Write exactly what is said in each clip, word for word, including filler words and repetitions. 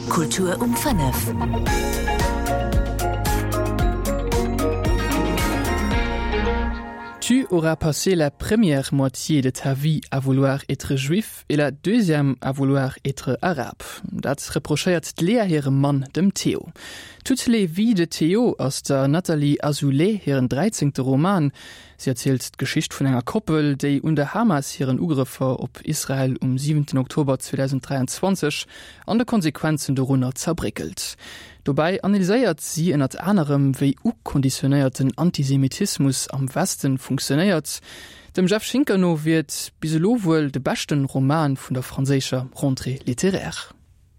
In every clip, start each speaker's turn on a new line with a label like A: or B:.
A: Kultur um fënnef.
B: Tu auras passé la première moitié de ta vie à vouloir être juif et la deuxième à vouloir être arabe. Dat reprochéiert d'Léa hirem Mann, dem Théo. Toutes les vies de Théo ass der Nathalie Azoulay hiren dräizéngte Roman. Si erzielt d'Geschicht vun enger Koppel, déi un der Hamas hiren Ugrëffer op Israel um siwenten Oktober zweedausenddräianzwanzeg an de Konsequenzen dorunner zerbréckelt. Dobäi analyséiert si ënnert anerem, wéi ukonditionéierten Antisemitismus am Westen funktionéiert. Dem Jeff Schinker no wier et bis elo wuel de beschten Roman vun der franséischer Rentrée littéraire.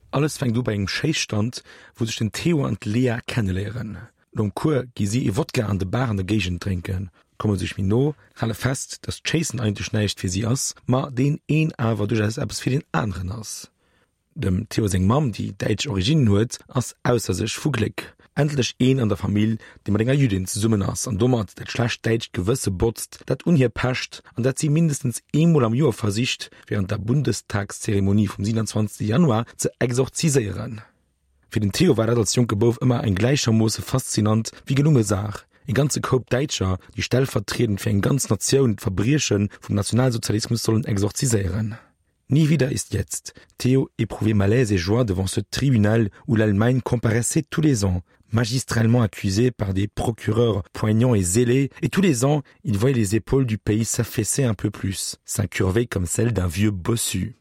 C: Alles fänkt u bei engem Schéisstand, wou sech den Theo an d'Lea kenneléieren. Nom Cours gi si ee Wodka an der Bar an der Géigend drénken, komme sech méi no, hale fest, datt d'Schéissen eigentlech näischt fir si ass, ma deen een awer duerchaus eppes fir deen aneren ass. Dem Theo seng Mamm, déi däitsch Originnen huet, ass ausser sech vu Gléck. Endlech een an der Famill, dee mat enger Jüddin zesummen ass an domat dat schlecht däitscht Gewësse botzt, dat un hir pecht an dat si mindestens eemol am Joer versicht, wärend der Bundestagszeremonie vum siewenundzwanzegste Januar ze exorziséieren. Fir den Theo war dat als jonke Bouf ëmmer eng gläichermoosse faszinant wéi gelunge Saach, e ganze Koup Däitscher, déi stellvertriedend fir eng ganz Natioun d'Verbrieche vum Nationalsozialismus sollen exorziséieren. Nie wieder ist jetzt. Theo éprouvait malaise et joie devant ce tribunal où l'Allemagne comparaissait tous les ans, magistralement accusée par des procureurs poignants et zélés, et tous les ans, il voyait les épaules du pays s'affaisser un peu plus, s'incurver comme celles d'un vieux bossu.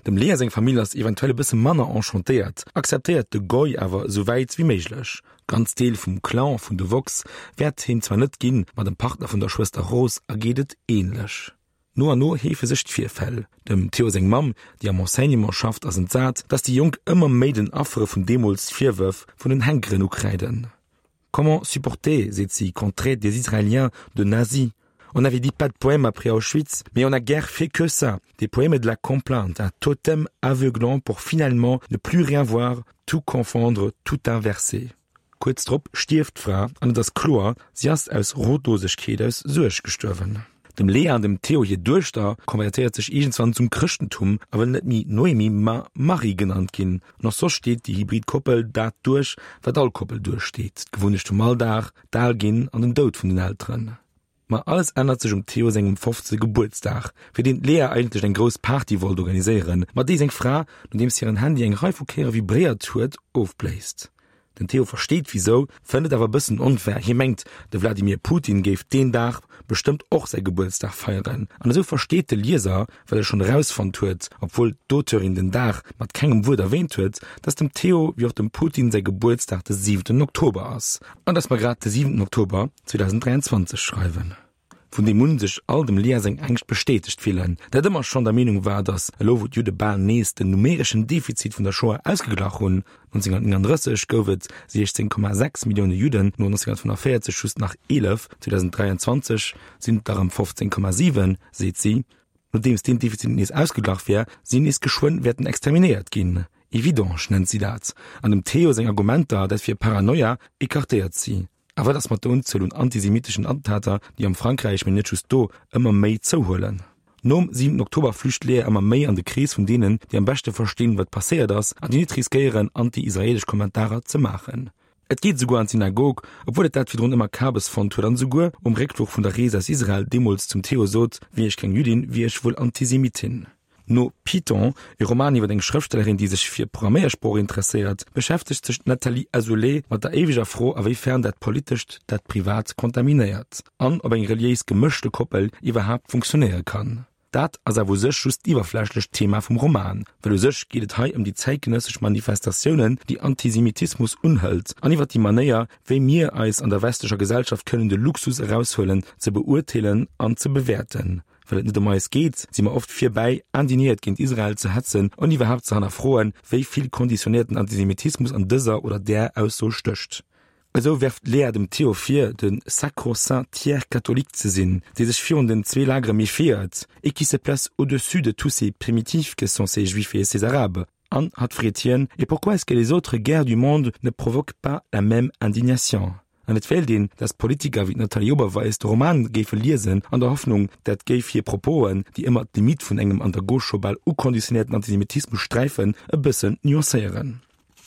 C: Dem Lea seng Famill ass eventuell e bësse manner enchantéiert, akzeptéiert de Goy awer esou wäit wéi méiglech. Ganz Deel vum Clan vun de Vox wäert hien zwar net ginn, ma dem Partner vun der Schwëster Rose ergeet et änlech. No an no heefe sech d'Virfäll. Dem Theo seng Mamm, déi am Enseignement schafft, ass entsat, dass déi Jonk ëmmer méi den Affere vun deemools Virwërf vun den Henkeren ukräiden. Comment supporter, seet si, qu'on traite des Israéliens de nazis? On avait dit pas de poèmes après Auschwitz, mais on n'a guère fait que ça. Des poèmes et de la complainte, un totem aveuglant pour finalement ne plus rien voir, tout confondre, tout inverser. Kuerz drop stierft d'Fra an et ass kloer, si ass aus Rotlosegkeet, aus Suerg gestuerwen. Dem Lea an dem Theo hir Duechter konvertéiert sech iergendswann zum Chrëschtentum a wëll net méi Noémie, ma Marie genannt ginn. An och soss steet déi hybrid Koppel dat duerch, wat all Koppel duerchsteet, d'Gewunnecht vum Alldag, d'Alginn an den Doud vun den Elteren. Ma alles ännert sech um Theo sengem fofzegste Gebuertsdag, fir deen d'Lea eigentlech eng grouss Party wollt organiséieren, ma déi seng Fra, nodeems hiren Handy eng Rei vu Kéiere vibréiert huet, ofbléist. Den Theo versteet wisou, fënnt et awer e bëssen onfair. Hie mengt, de Vladimir Putin géif deen Dag bestëmmt och säi Gebuertsdag feieren. An esou versteet de Lieser, well e schonn erausfonnt huet, obwuel d'Auteurin den Dag mat kengem Wuert erwäänt huet, dass dem Theo wéi och dem Putin säi Gebuertsdag de siwenten Oktober ass. An dass mer grad de siwenten Oktober zweedausenddräianzwanzeg schreiwen. Vun deem un sech all dem Lea seng Ängscht bestätegt fillen, dat ëmmer schonn der Meenung war, datt elo wou d'Judde bal nees den numereschen Defizit vun der Shoah ausgeglach hunn, nonzénghunnertnénganddrësseg gouf et siechzéng Komma sechs Millioune Judden, no nonzénghunnertfënnefenvéierzeg just nach eelef, zweedausenddräianzwanzeg sinn et der erëm fofzéng Komma siwen, seet si. Nodeems deen Defizit nees ausgeglach wär, si nees geschwënn wäerten exterminéiert ginn. Evidence nennt si dat. An dem Theo seng Argumenter, dat wier Paranoia, ecartéiert si. A wat ass mat der Unzuel un antisemitischen Attentater, déi am Frankräich, mee net just do, ëmmer méi zouhuelen? Nom siwenten Oktober flücht d'Lea ëmmer méi an de Krees vun deenen, déi am beschte verstinn, wat passéiert ass, an déi net riskéieren, anti-israelesch Kommentarer ze maachen. Et geet esouguer an d'Synagog, obwuel et dat virdrun ëmmer Kabes fonnt huet an esouguer um Réckfluch vun der Rees aus Israel deemools zum Theo sot, Wier ech keng Jüddin, wier ech wuel Antisemitin. No Python, e Roman iwwer eng Schrëftstellerin, déi sech fir Programméiersprooch interesséiert, beschäftegt sech d'Nathalie Azoulay mat der éiweger Fro, a wéi fern dat Politescht dat Privat kontaminéiert an ob eng reliéis gemëschte Koppel iwwerhaapt funktionéiere kann. Dat ass awer u sech just d'iwwerflächlecht Thema vum Roman, well u sech geet et hei ëm déi zäitgenëssesch Manifestatiounen, déi Antisemitismus unhëlt, an iwwer déi Manéier, wéi mir eis an der westlecher Gesellschaft kënnen de Luxus eraushuelen, ze beurteelen an ze bewäerten. Well et net ëm eis geet, si mer oft virbäi, indignéiert géint Israel ze hetzen an iwwerhaapt ze hannerfroen, wéi vill konditionéierten Antisemitismus an dëser oder där Ausso stécht. Esou werft d'Léa dem Theo vir, de sacro-saint tiers catholique ze sinn, dee sech virun den zwee Lagere méfiéiert, et qui se place au-dessus de tous ces primitifs que sont ces Juifs et ces Arabes. An hatt freet hien, Et pourquoi est-ce que les autres guerres du monde ne provoquent pas la même indignation? An et wéilt een, dass Politiker wéi d'Nathalie Oberweis de Roman géife liesen, an der Hoffnung, dat géif hir Proposen, déi ëmmer d'Limitt vun engem an der Gauche scho bal ukonditionéierten Antisemitismus sträifen, e bëssen nuancéieren.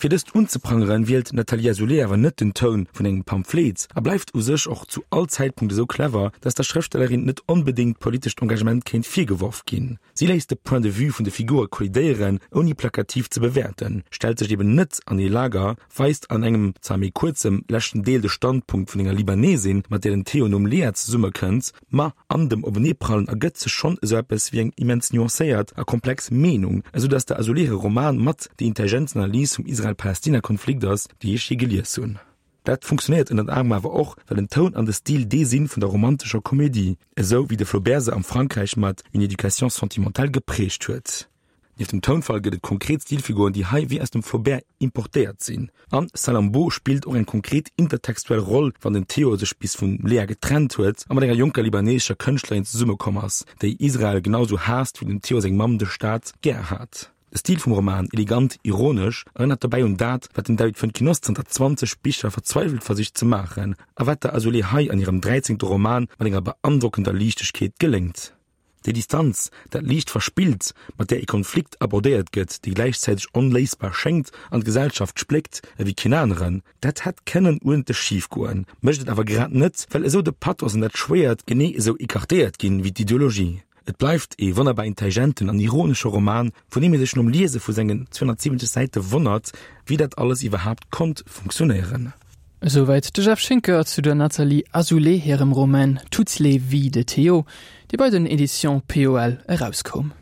C: Fir dëst unzeprangeren, wielt d'Nathalie Azoulay awer net den Toun vun engem Pamphlet a bleift u sech och zu all Zäitpunkt esou clever, dass der Schrëftstellerin net onbedéngt politescht Engagement kéint virgeworf ginn. Si léisst de Point de vue vun de Figure kollidéieren, ouni plakativ ze bewäerten, stellt sech eben net an ee Lager, weist an engem, zwar méi kuerzem, leschten Deel de Standpunkt vun enger Libanesin, mat där den Théo nom Léa zesummekënnt, ma an dem Openeeprallen ergëtt sech schonn esou eppes wéi eng immens nuancéiert a komplex Meenung, esou dass der Azoulay hire Roman mat déi intelligentsten Analys vum Israel-Palästina-Konflikt ass, déi ech jee gelies hunn. Dat funktionéiert ënnert anerem awer och, well den Toun an de Stil dee si vun der romantescher Komedie, esou wéi de Flaubert se am Frankräich mat Une éducation sentimentale geprägt huet. Nieft dem Tounfall gëtt et konkret Stilfiguren, déi hei wéi aus dem Flaubert importéiert sinn. An Salammbô spillt och eng konkret intertextuell Roll, wann den Theo sech bis vum Léa getrennt huet a mat enger jonker libanesescher Kënschtlerin zesummekomm ass, déi Israel genau sou haasst, wéi dem Theo seng Mamm de Staat gär hat. De Stil vum Roman, elegant, ironesch, erënnert dobäi un dat, wat den David Foenkinos zanter zwanzeg Bicher verzweiwelt versicht ze maachen, a wat der Azoulay hei an hirem dräizéngte Roman mat enger beandrockender Liichtegkeet geléngt. Déi Distanz, dat liicht Verspillt, mat där ee Konflikt abordéiert gëtt, dee gläichzäiteg onléisbar schéngt an d'Gesellschaft spléckt ewéi keen aneren, dat hätt kënnen uerdentlech schif goen, mécht et awer grad net, well esou de Pathos an dat Schwéiert genee esou écartéiert ginn ewéi d'Ideologie. Et bleift ee wonnerbar intelligenten an ironesche Roman, vun deem ee sech nom Liese vu sengen zweehonnertsiwwenzeg Säite wonnert, wéi dat alles iwwerhaapt konnt funktionéieren.
B: Esouwäit de Jeff Schinker zu der Nathalie Azoulay hirem Roman Toutes les vies de Théo, dee bei den Editions P O L erauskoum.